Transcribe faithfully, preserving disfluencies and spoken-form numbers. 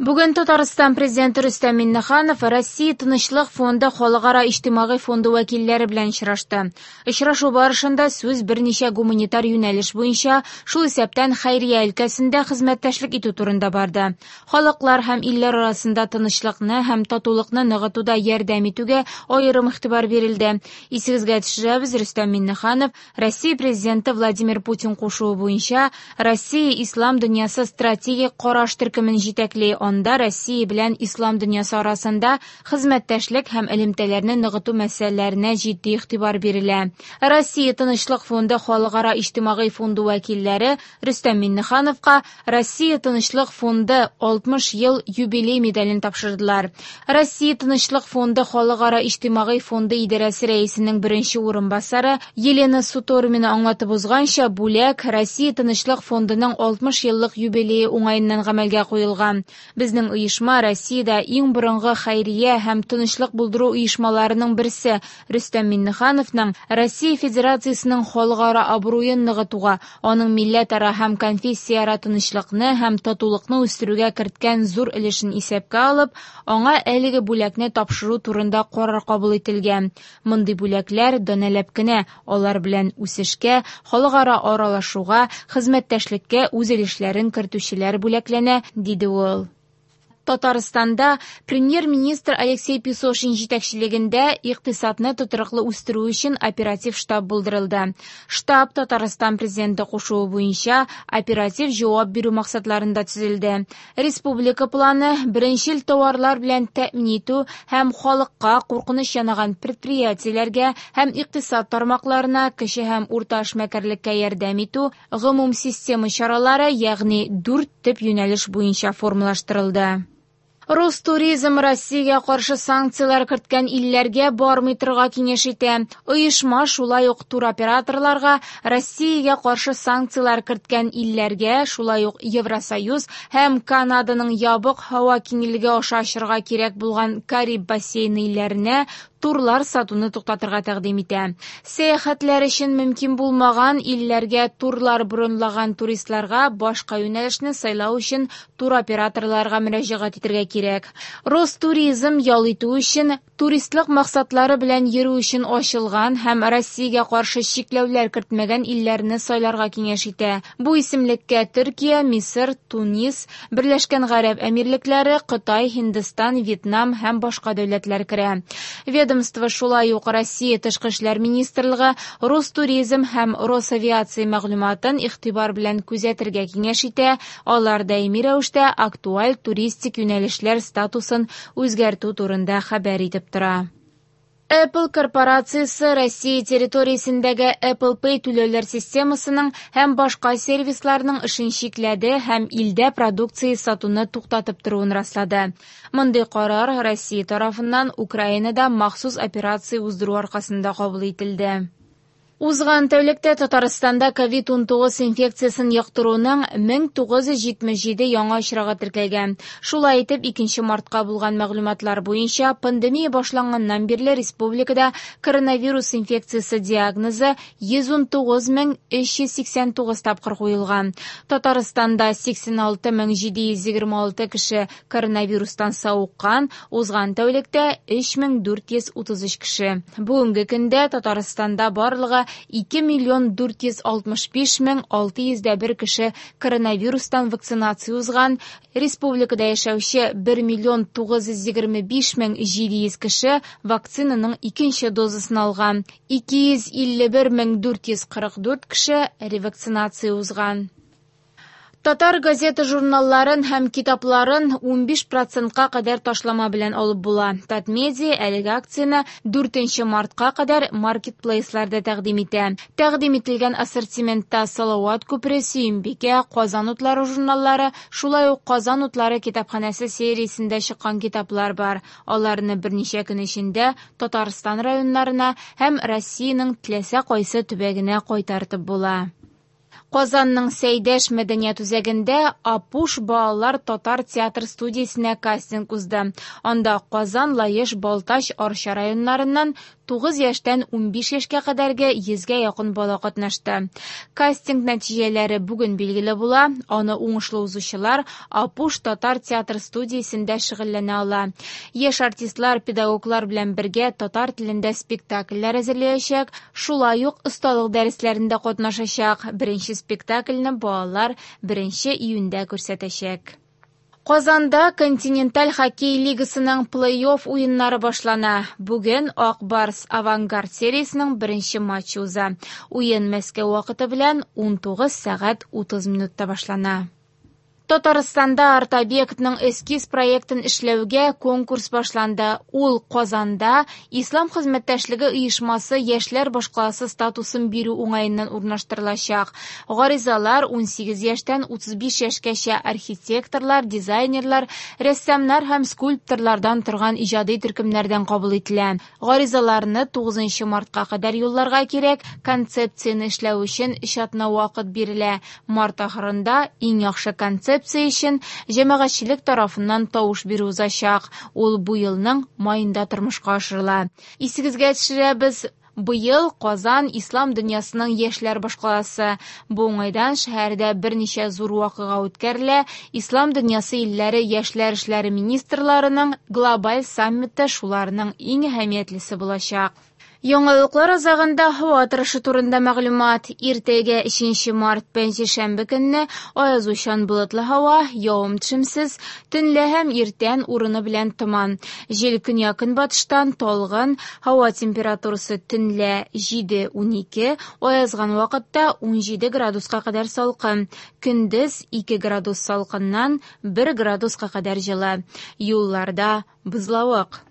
Бүген Татарстан президенты Рөстәм Миңнеханов Россия Тынычлык фонды халыкара иҗтимагый фонды вәкилләре белән очрашты. Очрашу барышында сүз берничә гуманитар юнәлеш буенча, шул исәптән хәйрия өлкәсендә хезмәттәшлек итү турында барды. Халыклар һәм илләр арасында тынычлыкны һәм татулыкны ныгытуда ярдәм итүгә аерым игътибар бирелде. Исегезгә төшерәбез, Рөстәм Миңнеханов Россия президенты Владимир Путин кушуы буенча Россия Ислам дөньясы стратегик караш төркемен җитәкли. Анда Россия белән Ислам дөньясы арасында хезмәттәшлек һәм элемтәләрне ныгыту мәсьәләләренә җитди игътибар бирелә. Россия Тынычлык фонды халыкара иҗтимагый фонды вәкилләре Рөстәм Миңнехановка Россия Тынычлык фонды алтмыш ел юбилей медален тапшырдылар. Россия Тынычлык фонды халыкара иҗтимагый фонды идарәсе рәисенең беренче урынбасары Елена Сутормина аңлатып узганча, бүләк Россия Тынычлык фондының алтмыш еллык юбилее уңаеннан гамәлгә куелган. Безнең оешма Россиядә иң борынгы хәйрия һәм тынычлык булдыру оешмаларының берсе. Рөстәм Миңнехановның Россия Федерациясенең халыкара абруен ныгытуга, аның милләтара һәм конфессияара тынычлыкны һәм татулыкны үстерүгә керткән зур өлешен исәпкә алып, аңа әлеге бүләкне тапшыру турында карар кабул ителгән. Мондый бүләкләр данәләп кенә, алар белән үсешкә, халыкара аралашуга, хезмәттәшлеккә үз өлешләрен кертүчеләр бүләкләнә, диде ул. Татарстанда премьер-министр Алексей Песошин җитәкчелегендә икътисадны тотрыклы үстерү өчен оператив штаб булдырылды. Штаб Татарстан президенты кушуы буенча оператив җавап бирү максатларында төзелде. Республика планы беренчел товарлар белән тәэмин итү һәм халыкка куркыныч янаган предприятиеләргә һәм икътисад тармакларына, кече һәм урта эшмәкәрлеккә ярдәм итү гомум система чаралары, ягъни дүрт төп юнәлеш буенча формалаштырылды. Ростуризм Россиягә каршы санкцияләр керткән илләргә бармый торырга киңәш итә. Оешма шулай ук туроператорларга Россиягә каршы санкцияләр керткән илләргә, шулай ук Евросоюз һәм Канаданың ябык һава киңлеге аша очырга кирәк булган Кариб бассейны илләренә турлар сатуны туктатырга тәкъдим итә. Сәяхәтләр өчен мөмкин булмаган илләргә турлар броньлаган туристларга башка юнәлешне сайлау өчен туроператорларга мөрәҗәгать итәргә кирәк. Ростуризм ял итү өчен туристлык максатлары белән йөрү өчен ачылган һәм Россиягә каршы чикләүләр кертмәгән илләрне сайларга киңәш итә. Бу исемлеккә Төркия, Мисыр, Тунис, Берләшкән Гарәп Әмирлекләре, Кытай, Һиндстан, Вьетнам һәм башка дәүләтләр керә. Ведомство шулай ук Россия Тышкы эшләр министрлыгы Ростуризм һәм Росавиация мәгълүматын игътибар белән күзәтергә киңәш итә. Алар даими рәвештә актуаль туристик юнәлешләр статусын үзгәртү турында хәбәр итеп тора. Apple корпорациясе Россия территориясендәге Apple Pay түләүләр системасының һәм башка сервисларның эшен чикләде һәм илдә продукция сатуны туктатып торуын раслады. Мондый карар Россия тарафыннан Украинада махсус операция уздыру аркасында кабул ителде. Узган тәүлектә Татарстанда ковид унтугыз инфекциясен йоктыруның мең тугыз йөз җитмеш җиде яңа очрагы теркәлгән. Шулай итеп, икенче мартка булган мәгълүматлар буенча пандемия башланганнан бирле республикада коронавирус инфекциясе диагнозы йөз унтугыз мең өч йөз сиксән тугыз тапкыр куелган. Татарстанда сиксән алты мең җиде йөз егерме алты кеше коронавирустан савыккан, узган тәүлектә өч мең дүрт йөз утыз өч кеше. Бүгенге көндә Татарстанда барлыгы ике миллион дүрт йөз алтмыш биш мең алты йөз дә бер кеше коронавирустан вакцинация узган. Республикада яшәүче бер миллион тугыз йөз егерме биш мең җиде йөз кеше вакцинаның икенче дозасын алган. Ике йөз илле бер мең дүрт йөз кырык дүрт кеше ревакцинация узган. Татар газета журналларын һәм китапларын унбиш процентка кадәр ташлама белән алып була. Татмедиа әлеге акцияне дүртенче мартка кадәр маркетплейсларда тәкъдим итә. Тәкъдим ителгән ассортиментта Салават күпере, Сөембикә, Казан утлары журналлары, шулай ук Казан утлары китапханәсе сериясендә чыккан китаплар бар. Аларны берничә көн эчендә Татарстан районнарына һәм Россиянең теләсә кайсы төбәгенә кайтартып була. Казанның Сәйдәш мәдәният үзәгендә «Апуш» балалар татар театр студиясенә кастинг узды. Анда Казан, Лаеш, Балтач, Арча районнарыннан тугыз яшьтән унбиш яшькә кадәрге йөзгә якын бала катнашты. Кастинг нәтиҗәләре бүген билгеле була. Аны уңышлы узучылар «Апуш» татар театр студиясендә шөгыльләнә ала. Яшь артистлар педагоглар белән бергә татар телендә спектакльләр әзерләячәк, шулай ук осталык дәресләрендә катнашачак. Беренче спектакльне балалар беренче июньдә күрсәтәчәк. Казанда Континенталь хоккей лигасының плей-офф уеннары башлана. Бүген Ак Барс Авангард сериясенең беренче матчы уза. Уен Мәскәү вакыты белән унтугыз сәгать утыз минутта башлана. Татарстанда арт-объектның эскиз проектын эшләүгә конкурс башланды. Ул Казанда Ислам хезмәттәшлеге оешмасы яшьләр башкаласы статусын бирү уңаеннан урнаштырылачак. Гаризалар унсигез яшьтән утыз биш яшькәчә архитекторлар, дизайнерлар, рәссамнар һәм скульпторлардан торган иҗади төркемнәрдән кабул ителә. Гаризаларны тугызынчы мартка кадәр юлларга кирәк. Концепцияне эшләү өчен өч атна вакыт бирелә. Март ахырында иң яхшы концепция өчен җәмәгатьчелек тарафыннан тавыш бирү узачак. Ул бу елның майында тормышка ашырыла. Исегезгә төшерәбез, быел Казан Ислам дөньясының яшьләр башкаласы. Бу уңайдан шәһәрдә берничә зур вакыйга үткәрелә. Ислам дөньясы илләре яшьләр эшләре министрларының глобаль саммиты шуларның иң әһәмиятлесе булачак. Яңалыклар азагында һава торышы турында мәгълүмат. Иртәгә өченче март пәнҗешәмбе көнне аязучан болытлы һава, явым-төшемсез, төнлә һәм иртән урыны белән томан. Җил көньяк-көнбатыштан талгын, һава температурасы төнлә җиде унике, аязган вакытта унҗиде градуска кадәр салкын. Көндез ике градус салкыннан бер градуска кадәр җылы. Юлларда бозлавык.